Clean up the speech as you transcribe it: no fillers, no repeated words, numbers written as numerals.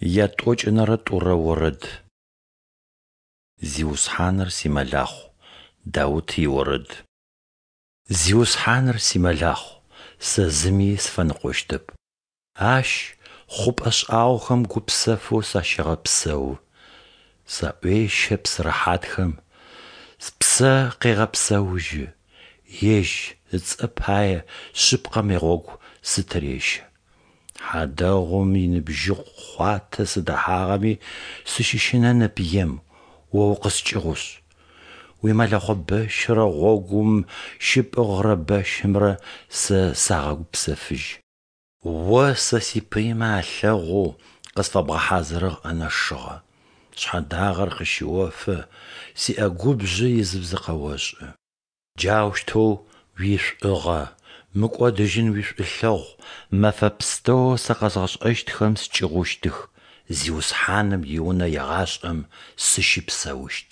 Ятӏокӏынэрэ тӏурэ орэд. Зиусхьаныр симэлахъу. Даут иорэд. Зиусхьаныр симэлахъу, сэ зыми сыфэныкъощтэп. Ащ хъупӏэ шӏагъохэм гупсэфэу сащегъэпсэу. Саӏуещэ псы рэхьатхэм, спсэ къегъэпсэужьы, Ежь ыцӏэ пае шъыпкъэм игъогу сытырещэ. Хьадэгъум иныбжьыкъу хъуатэ сыдэхьагъэми, сыщыщынэнэп ем, О укъыскӏыгъушъ. Уимэлэхъо бэщрэ гъогум щыпӏыгъырэ бэщымрэ сэ сагъэгупсэфыжьы. О сэ сипыймэ алъэгъоу къысфэбгъэхьазырыгъ ӏэнэ шыгъэ. Шъхьэдагъэр къыщыофэ, сиӏэгубжъэ изыбзэ къэошӏы. Джаущтэу уишӏугъэ, мыкӏодыжьын уишӏулъэгъу мэфэ пстэоу сэ къэзгъэшӏэщтхэм скӏыгъущтых, Зиусхьаным и Унэ егъашӏэм сыщыпсэущт.